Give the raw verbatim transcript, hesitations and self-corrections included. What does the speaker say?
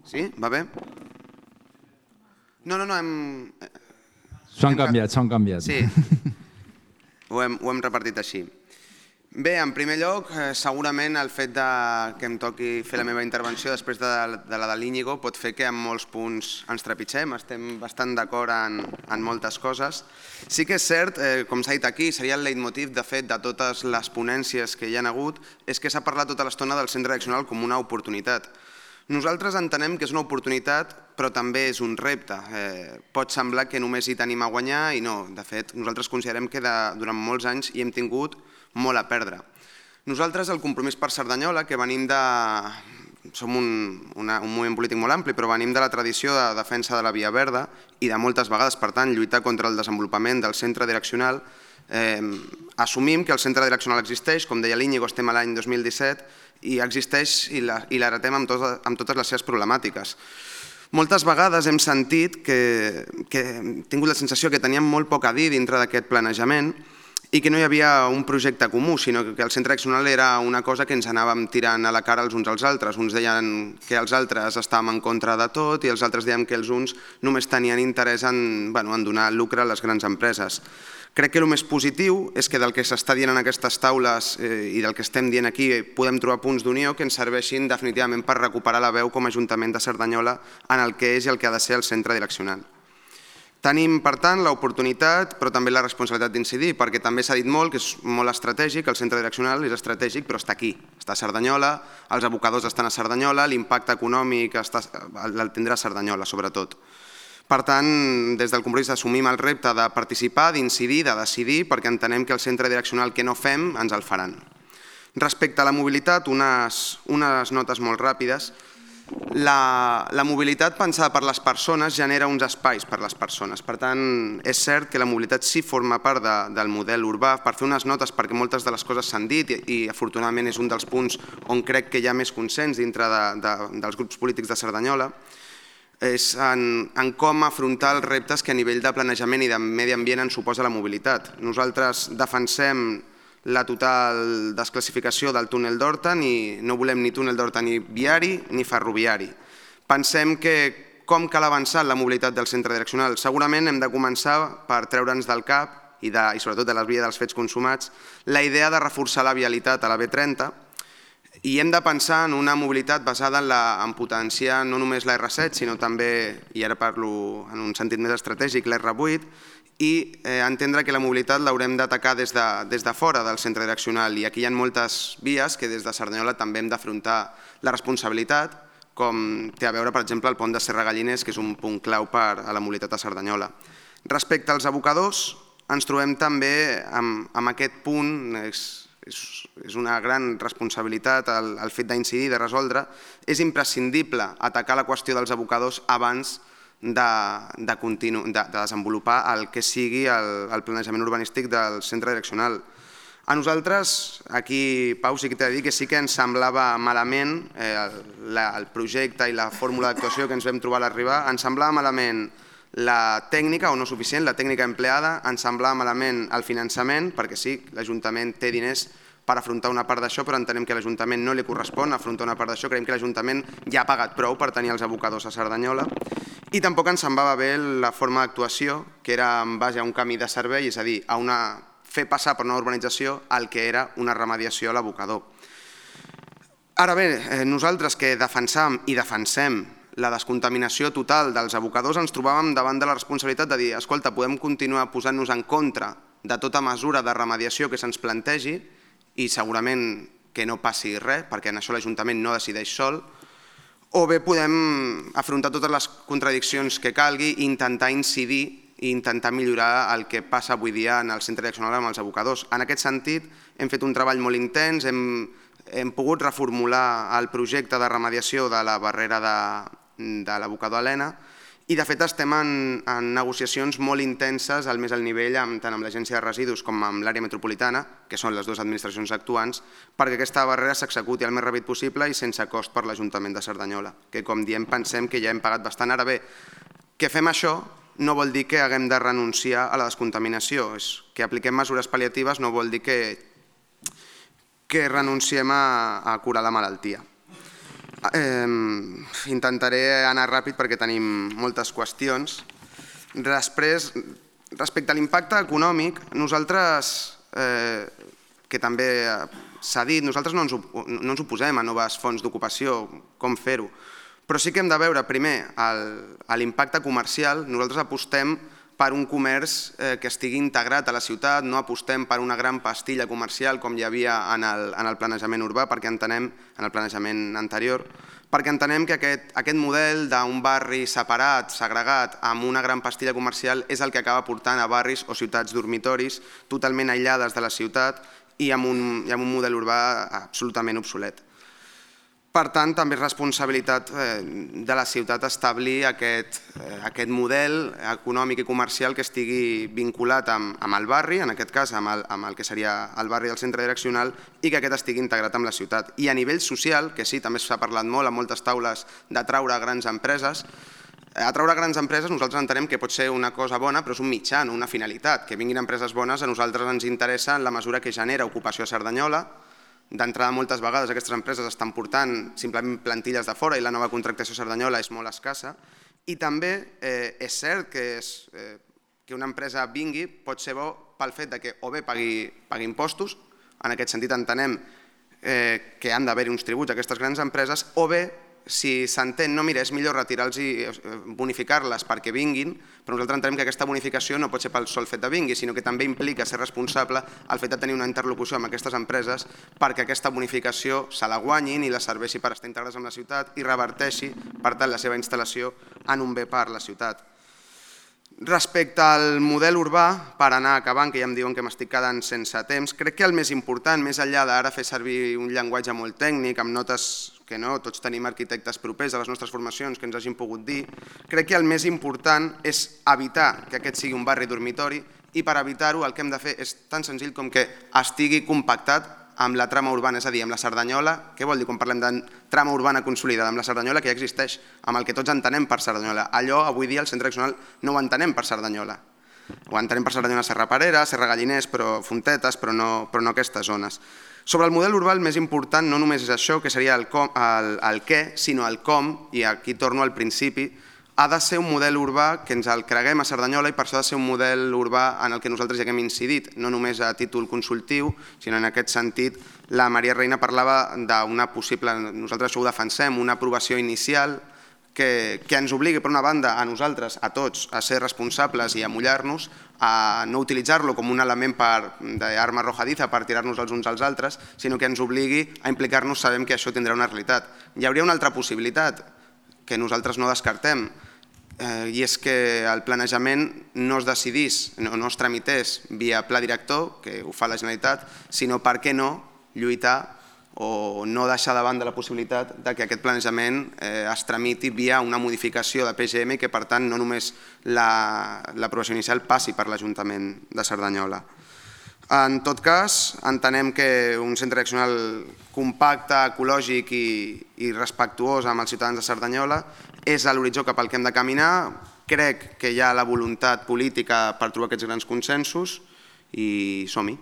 Sí? Va bé? No, no, no, hem... S'ho han canviat, s'ho han canviat. Sí, ho hem, ho hem repartit així. Bé, en primer lloc, segurament el fet de que em toqui fer la meva intervenció després de, de la de l'Íñigo pot fer que en molts punts ens trepitgem, estem bastant d'acord en, en moltes coses. Sí que és cert, eh, com s'ha dit aquí, seria el leitmotiv de fet de totes les ponències que hi ha hagut, és que s'ha parlat tota l'estona del centre direccional com una oportunitat. Nosaltres entenem que és una oportunitat, però també és un repte. Eh, pot semblar que només hi tenim a guanyar i no. De fet, nosaltres considerem que de, durant molts anys hi hem tingut molt a perdre. Nosaltres, el Compromís per Cerdanyola, que venim de... Som un, una, un moviment polític molt ampli, però venim de la tradició de defensa de la Via Verda i de moltes vegades, per tant, lluitar contra el desenvolupament del centre direccional. Eh, assumim que el centre direccional existeix, com deia l'Íñigo, estem a l'any dos mil disset, i existeix i l'heretem amb, tot, amb totes les seves problemàtiques. Moltes vegades hem sentit que, que hem tingut la sensació que teníem molt poc a dir dintre d'aquest planejament i que no hi havia un projecte comú, sinó que el centre direccional era una cosa que ens anàvem tirant a la cara els uns als altres. Uns deien que els altres estàvem en contra de tot i els altres deien que els uns només tenien interès en, bueno, en donar lucre a les grans empreses. Crec que el més positiu és que del que s'està dient en aquestes taules eh, i del que estem dient aquí podem trobar punts d'unió que ens serveixin definitivament per recuperar la veu com a Ajuntament de Cerdanyola en el que és i el que ha de ser el centre direccional. Tenim, per tant, l'oportunitat, però també la responsabilitat d'incidir, perquè també s'ha dit molt que és molt estratègic, el centre direccional és estratègic, però està aquí, està a Cerdanyola, els abocadors estan a Cerdanyola, l'impacte econòmic el tindrà a Cerdanyola, sobretot. Per tant, des del Compromís assumim el repte de participar, d'incidir, de decidir, perquè entenem que el centre direccional que no fem ens el faran. Respecte a la mobilitat, unes, unes notes molt ràpides. La, la mobilitat pensada per les persones genera uns espais per les persones. Per tant, és cert que la mobilitat sí forma part de, del model urbà. Per fer unes notes, perquè moltes de les coses s'han dit i, i afortunadament és un dels punts on crec que hi ha més consens dintre de, de, dels grups polítics de Cerdanyola, és en, en com afrontar els reptes que a nivell de planejament i de medi ambient ens suposa la mobilitat. Nosaltres defensem la total desclassificació del túnel d'Horta, ni, no volem ni túnel d'Horta ni viari ni ferroviari. Pensem que com cal avançar en la mobilitat del centre direccional? Segurament hem de començar per treure'ns del cap i, de, i sobretot de la via dels fets consumats la idea de reforçar la vialitat a la B trenta, i hem de pensar en una mobilitat basada en, la, en potenciar no només la erre set, sinó també, i ara parlo en un sentit més estratègic, la erre vuit, i eh, entendre que la mobilitat l'haurem d'atacar des, de, des de fora del centre direccional. I aquí hi ha moltes vies que des de Cerdanyola també hem d'afrontar la responsabilitat, com té a veure, per exemple, el pont de Serra Galliners, que és un punt clau per a la mobilitat a Cerdanyola. Respecte als abocadors, ens trobem també amb, amb aquest punt, és, és una gran responsabilitat el, el fet d'incidir, de resoldre. És imprescindible atacar la qüestió dels abocadors abans de, de, continu, de, de desenvolupar el que sigui el, el planejament urbanístic del centre direccional. A nosaltres, aquí, Pau, sí que t'he de dir que sí que ens semblava malament eh, el, la, el projecte i la fórmula d'actuació que ens vam trobar a l'arribar, ens semblava malament la tècnica, o no suficient, la tècnica empleada, ens semblava malament el finançament, perquè sí, l'Ajuntament té diners per afrontar una part d'això, però entenem que a l'Ajuntament no li correspon afrontar una part d'això, creiem que l'Ajuntament ja ha pagat prou per tenir els abocadors a Cerdanyola, i tampoc ens semblava bé la forma d'actuació, que era en base a un camí de servei, és a dir, a una, fer passar per una urbanització el que era una remediació a l'abocador. Ara bé, nosaltres que defensam i defensem la descontaminació total dels abocadors, ens trobàvem davant de la responsabilitat de dir, escolta, podem continuar posant-nos en contra de tota mesura de remediació que se'ns plantegi i segurament que no passi res, perquè en això l'Ajuntament no decideix sol, o bé podem afrontar totes les contradiccions que calgui i intentar incidir i intentar millorar el que passa avui dia en el centre direccional amb els abocadors. En aquest sentit, hem fet un treball molt intens, hem, hem pogut reformular el projecte de remediació de la barrera de, de l'abocador Helena i de fet estem en, en negociacions molt intenses al més alt nivell amb, tant amb l'Agència de Residus com amb l'àrea metropolitana, que són les dues administracions actuants, perquè aquesta barrera s'executi el més ràpid possible i sense cost per l'Ajuntament de Cerdanyola, que com diem pensem que ja hem pagat bastant. Ara bé, que fem això no vol dir que haguem de renunciar a la descontaminació, és que apliquem mesures pal·liatives no vol dir que, que renunciem a, a curar la malaltia. Intentaré anar ràpid perquè tenim moltes qüestions. Després, respecte a l'impacte econòmic, nosaltres, que també s'ha dit, nosaltres no ens oposem a noves fonts d'ocupació, com fer-ho, però sí que hem de veure primer l'impacte comercial. Nosaltres apostem per un comerç que estigui integrat a la ciutat, no apostem per una gran pastilla comercial com hi havia en el planejament urbà, perquè entenem, en el planejament anterior, perquè entenem que aquest model d'un barri separat, segregat, amb una gran pastilla comercial és el que acaba portant a barris o ciutats dormitoris totalment aïllades de la ciutat i amb un model urbà absolutament obsolet. Per tant, també és responsabilitat de la ciutat establir aquest model econòmic i comercial que estigui vinculat amb el barri, en aquest cas amb el que seria el barri del centre direccional, i que aquest estigui integrat amb la ciutat. I a nivell social, que sí, també s'ha parlat molt a moltes taules d'atraure grans empreses, atraure grans empreses nosaltres entenem que pot ser una cosa bona, però és un mitjà, no una finalitat. Que vinguin empreses bones a nosaltres ens interessa en la mesura que genera ocupació a Cerdanyola. D'entrada, moltes vegades aquestes empreses estan portant simplement plantilles de fora i la nova contractació a Cerdanyola és molt escassa. I també és cert que una empresa vingui pot ser bo pel fet que o bé pagui impostos, en aquest sentit entenem que han d'haver-hi uns tributs a aquestes grans empreses, o bé, si s'entén, no, mira, és millor retirar-los i bonificar-les perquè vinguin, però nosaltres entenem que aquesta bonificació no pot ser pel sol fet de vingui, sinó que també implica ser responsable el fet de tenir una interlocució amb aquestes empreses perquè aquesta bonificació se la guanyin i la serveixi per estar integrades amb la ciutat i reverteixi, per tant, la seva instal·lació en un bé per la ciutat. Respecte al model urbà, per anar acabant, que ja em diuen que m'estic quedant sense temps, crec que el més important, més enllà d'ara fer servir un llenguatge molt tècnic, amb notes que no, tots tenim arquitectes propers a les nostres formacions que ens hagin pogut dir, crec que el més important és evitar que aquest sigui un barri dormitori i per evitar-ho el que hem de fer és tan senzill com que estigui compactat amb la trama urbana, és a dir, amb la Cerdanyola. Què vol dir quan parlem de trama urbana consolidada? Amb la Cerdanyola que ja existeix, amb el que tots entenem per Cerdanyola. Allò, avui dia, el centre direccional no ho entenem per Cerdanyola. Ho entenem per Cerdanyola, Serra Parera, Serra Galliners, però Fontetes, però no aquestes zones. Sobre el model urbà, el més important no només és això, que seria el què, sinó el com, i aquí torno al principi, ha de ser un model urbà que ens el creguem a Cerdanyola i per això ha de ser un model urbà en el que nosaltres ja hem incidit, no només a títol consultiu, sinó en aquest sentit la Maria Reina parlava d'una possible, nosaltres això ho defensem, una aprovació inicial que ens obligui per una banda a nosaltres, a tots, a ser responsables i a mullar-nos, a no utilitzar-lo com un element d'arma arrojadiza per tirar-nos els uns als altres, sinó que ens obligui a implicar-nos, sabem que això tindrà una realitat. Hi hauria una altra possibilitat que nosaltres no descartem, i és que el planejament no es decidís, no es tramités via pla director, que ho fa la Generalitat, sinó, per què no, lluitar o no deixar de banda la possibilitat que aquest planejament es tramiti via una modificació de P G M i que, per tant, no només l'aprovació inicial passi per l'Ajuntament de Cerdanyola. En tot cas, entenem que un centre direccional compacte, ecològic i respectuós amb els ciutadans de Cerdanyola és a l'horitzó cap al que hem de caminar. Crec que hi ha la voluntat política per trobar aquests grans consensos i som-hi.